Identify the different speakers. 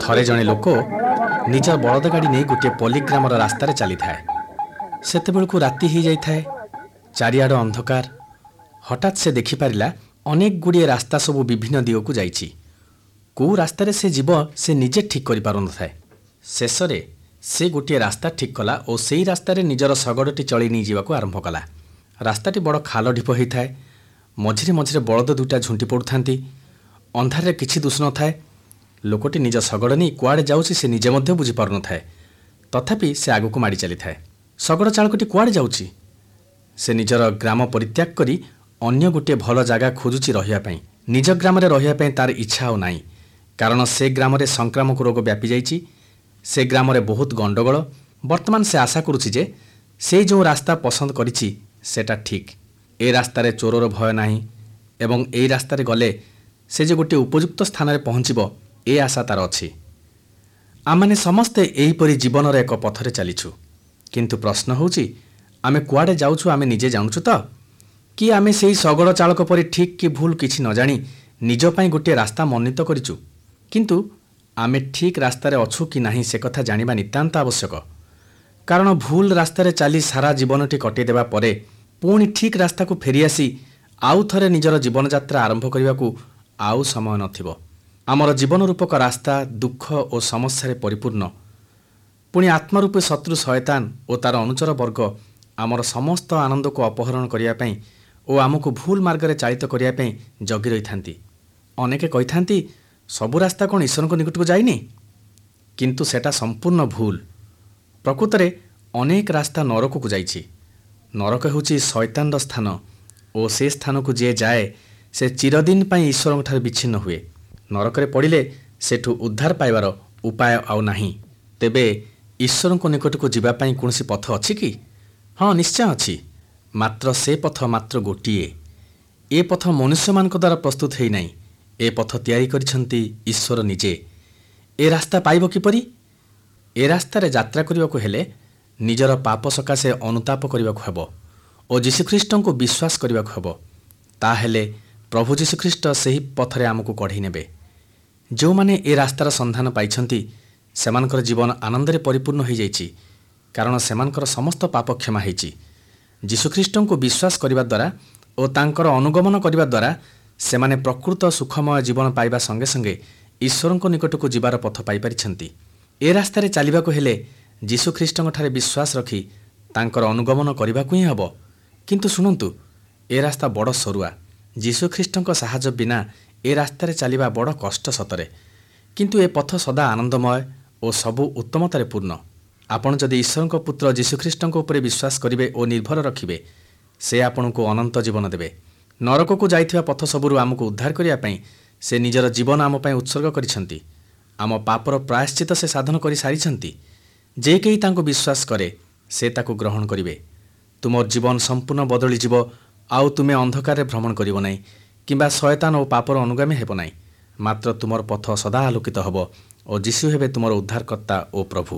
Speaker 1: ଥରେ ଜଣେ ଲୋକ ନିଜ ବଳଦ ଗାଡ଼ି ନେଇ ଗୋଟିଏ ପଲ୍ଲୀଗ୍ରାମର ରାସ୍ତାରେ ଚାଲିଥାଏ। ସେତେବେଳକୁ ରାତି ହେଇଯାଇଥାଏ, ଚାରିଆଡ଼ ଅନ୍ଧକାର। ହଠାତ୍ ସେ ଦେଖିପାରିଲା ଅନେକ ଗୁଡ଼ିଏ ରାସ୍ତା ସବୁ ବିଭିନ୍ନ ଦିଗକୁ ଯାଇଛି। କେଉଁ ରାସ୍ତାରେ ସେ ଯିବ ସେ ନିଜେ ଠିକ୍ କରିପାରୁନଥାଏ। ଶେଷରେ ସେ ଗୋଟିଏ ରାସ୍ତା ଠିକ୍ କଲା ଓ ସେଇ ରାସ୍ତାରେ ନିଜର ଶଗଡ଼ଟି ଚଳେଇ ନେଇଯିବାକୁ ଆରମ୍ଭ କଲା। ରାସ୍ତାଟି ବଡ଼ ଖାଲ ଢିପ ହେଇଥାଏ, ମଝିରେ ମଝିରେ ବଳଦ ଦୁଇଟା ଝୁଣ୍ଟି ପଡ଼ୁଥାନ୍ତି। ଅନ୍ଧାରରେ କିଛି ଦିଶୁନଥାଏ। ଲୋକଟି ନିଜ ଶଗଡ଼ ନେଇ କୁଆଡ଼େ ଯାଉଛି ସେ ନିଜେ ମଧ୍ୟ ବୁଝିପାରୁନଥାଏ। ତଥାପି ସେ ଆଗକୁ ମାଡ଼ି ଚାଲିଥାଏ। ଶଗଡ଼ ଚାଳକଟି କୁଆଡ଼େ ଯାଉଛି? ସେ ନିଜର ଗ୍ରାମ ପରିତ୍ୟାଗ କରି ଅନ୍ୟ ଗୋଟିଏ ଭଲ ଜାଗା ଖୋଜୁଛି ରହିବା ପାଇଁ। ନିଜ ଗ୍ରାମରେ ରହିବା ପାଇଁ ତାର ଇଚ୍ଛା ଆଉ ନାହିଁ, କାରଣ ସେ ଗ୍ରାମରେ ସଂକ୍ରାମକ ରୋଗ ବ୍ୟାପିଯାଇଛି। ସେ ଗ୍ରାମରେ ବହୁତ ଗଣ୍ଡଗୋଳ। ବର୍ତ୍ତମାନ ସେ ଆଶା କରୁଛି ଯେ ସେ ଯେଉଁ ରାସ୍ତା ପସନ୍ଦ କରିଛି ସେଟା ଠିକ୍। ଏ ରାସ୍ତାରେ ଚୋରର ଭୟ ନାହିଁ ଏବଂ ଏଇ ରାସ୍ତାରେ ଗଲେ ସେ ଯେ ଗୋଟିଏ ଉପଯୁକ୍ତ ସ୍ଥାନରେ ପହଞ୍ଚିବ, ଏ ଆଶା ତାର ଅଛି। ଆମମାନେ ସମସ୍ତେ ଏହିପରି ଜୀବନର ଏକ ପଥରେ ଚାଲିଛୁ। କିନ୍ତୁ ପ୍ରଶ୍ନ ହେଉଛି, ଆମେ କୁଆଡ଼େ ଯାଉଛୁ ଆମେ ନିଜେ ଜାଣୁଛୁ ତ? କି ଆମେ ସେଇ ଶଗଡ଼ ଚାଳକ ପରି ଠିକ୍ କି ଭୁଲ କିଛି ନ ଜାଣି ନିଜ ପାଇଁ ଗୋଟିଏ ରାସ୍ତା ମନୋନୀତ କରିଛୁ? କିନ୍ତୁ ଆମେ ଠିକ୍ ରାସ୍ତାରେ ଅଛୁ କି ନାହିଁ ସେ କଥା ଜାଣିବା ନିତାନ୍ତ ଆବଶ୍ୟକ। କାରଣ ଭୁଲ ରାସ୍ତାରେ ଚାଲି ସାରା ଜୀବନଟି କଟେଇ ଦେବା ପରେ ପୁଣି ଠିକ୍ ରାସ୍ତାକୁ ଫେରିଆସି ଆଉ ଥରେ ନିଜର ଜୀବନଯାତ୍ରା ଆରମ୍ଭ କରିବାକୁ ଆଉ ସମୟ ନଥିବ। ଆମର ଜୀବନ ରୂପକ ରାସ୍ତା ଦୁଃଖ ଓ ସମସ୍ୟାରେ ପରିପୂର୍ଣ୍ଣ। ପୁଣି ଆତ୍ମାରୂପୀ ଶତ୍ରୁ ଶୟତାନ ଓ ତାର ଅନୁଚର ବର୍ଗ ଆମର ସମସ୍ତ ଆନନ୍ଦକୁ ଅପହରଣ କରିବା ପାଇଁ ଓ ଆମକୁ ଭୁଲ ମାର୍ଗରେ ଚାଳିତ କରିବା ପାଇଁ ଜଗି ରହିଥାନ୍ତି। ଅନେକେ କହିଥାନ୍ତି, ସବୁ ରାସ୍ତା କ'ଣ ଈଶ୍ୱରଙ୍କ ନିକଟକୁ ଯାଇନି? କିନ୍ତୁ ସେଟା ସମ୍ପୂର୍ଣ୍ଣ ଭୁଲ। ପ୍ରକୃତରେ ଅନେକ ରାସ୍ତା ନରକକୁ ଯାଇଛି। ନରକ ହେଉଛି ଶୟତାନର ସ୍ଥାନ ଓ ସେ ସ୍ଥାନକୁ ଯିଏ ଯାଏ ସେ ଚିରଦିନ ପାଇଁ ଈଶ୍ୱରଙ୍କଠାରୁ ବିଚ୍ଛିନ୍ନ ହୁଏ। ନରକରେ ପଡ଼ିଲେ ସେଠୁ ଉଦ୍ଧାର ପାଇବାର ଉପାୟ ଆଉ ନାହିଁ। ତେବେ ଈଶ୍ୱରଙ୍କ ନିକଟକୁ ଯିବା ପାଇଁ କୌଣସି ପଥ ଅଛି କି? ହଁ, ନିଶ୍ଚୟ ଅଛି। ମାତ୍ର ସେ ପଥ ମାତ୍ର ଗୋଟିଏ। ଏ ପଥ ମନୁଷ୍ୟମାନଙ୍କ ଦ୍ୱାରା ପ୍ରସ୍ତୁତ ହୋଇନାହିଁ। ଏ ପଥ ତିଆରି କରିଛନ୍ତି ଈଶ୍ୱର ନିଜେ। ଏ ରାସ୍ତା ପାଇବ କିପରି? ଏ ରାସ୍ତାରେ ଯାତ୍ରା କରିବାକୁ ହେଲେ ନିଜର ପାପ ସକାଶେ ଅନୁତାପ କରିବାକୁ ହେବ ଓ ଯୀଶୁଖ୍ରୀଷ୍ଟଙ୍କୁ ବିଶ୍ୱାସ କରିବାକୁ ହେବ। ତାହେଲେ ପ୍ରଭୁ ଯୀଶୁଖ୍ରୀଷ୍ଟ ସେହି ପଥରେ ଆମକୁ କଢ଼େଇ ନେବେ। ଯେଉଁମାନେ ଏ ରାସ୍ତାର ସନ୍ଧାନ ପାଇଛନ୍ତି ସେମାନଙ୍କର ଜୀବନ ଆନନ୍ଦରେ ପରିପୂର୍ଣ୍ଣ ହୋଇଯାଇଛି, କାରଣ ସେମାନଙ୍କର ସମସ୍ତ ପାପ କ୍ଷମା ହୋଇଛି। ଯୀଶୁଖ୍ରୀଷ୍ଟଙ୍କୁ ବିଶ୍ୱାସ କରିବା ଦ୍ୱାରା ଓ ତାଙ୍କର ଅନୁଗମନ କରିବା ଦ୍ୱାରା ସେମାନେ ପ୍ରକୃତ ସୁଖମୟ ଜୀବନ ପାଇବା ସଙ୍ଗେ ସଙ୍ଗେ ଈଶ୍ୱରଙ୍କ ନିକଟକୁ ଯିବାର ପଥ ପାଇପାରିଛନ୍ତି। ଏ ରାସ୍ତାରେ ଚାଲିବାକୁ ହେଲେ ଯୀଶୁଖ୍ରୀଷ୍ଟଙ୍କଠାରେ ବିଶ୍ୱାସ ରଖି ତାଙ୍କର ଅନୁଗମନ କରିବାକୁ ହିଁ ହେବ। କିନ୍ତୁ ଶୁଣନ୍ତୁ, ଏ ରାସ୍ତା ବଡ଼ ସରୁଆ। ଯୀଶୁଖ୍ରୀଷ୍ଟଙ୍କ ସାହାଯ୍ୟ ବିନା ଏ ରାସ୍ତାରେ ଚାଲିବା ବଡ଼ କଷ୍ଟ ସତରେ, କିନ୍ତୁ ଏ ପଥ ସଦା ଆନନ୍ଦମୟ ଓ ସବୁ ଉତ୍ତମତାରେ ପୂର୍ଣ୍ଣ। ଆପଣ ଯଦି ଈଶ୍ୱରଙ୍କ ପୁତ୍ର ଯୀଶୁଖ୍ରୀଷ୍ଟଙ୍କ ଉପରେ ବିଶ୍ୱାସ କରିବେ ଓ ନିର୍ଭର ରଖିବେ, ସେ ଆପଣଙ୍କୁ ଅନନ୍ତ ଜୀବନ ଦେବେ। ନରକକୁ ଯାଇଥିବା ପଥ ସବୁରୁ ଆମକୁ ଉଦ୍ଧାର କରିବା ପାଇଁ ସେ ନିଜର ଜୀବନ ଆମ ପାଇଁ ଉତ୍ସର୍ଗ କରିଛନ୍ତି। ଆମ ପାପର ପ୍ରାୟଶ୍ଚିତ ସେ ସାଧନ କରିସାରିଛନ୍ତି। ଯେ କେହି ତାଙ୍କୁ ବିଶ୍ୱାସ କରେ ସେ ତାକୁ ଗ୍ରହଣ କରିବେ। ତୁମର ଜୀବନ ସମ୍ପୂର୍ଣ୍ଣ ବଦଳିଯିବ। ଆଉ ତୁମେ ଅନ୍ଧକାରରେ ଭ୍ରମଣ କରିବ ନାହିଁ କିମ୍ବା ଶୟତାନ ଓ ପାପର ଅନୁଗାମୀ ହେବ ନାହିଁ। ମାତ୍ର ତୁମର ପଥ ସଦା ଆଲୋକିତ ହେବ ଓ ଯୀଶୁ ହେବେ ତୁମର ଉଦ୍ଧାରକର୍ତ୍ତା ଓ ପ୍ରଭୁ।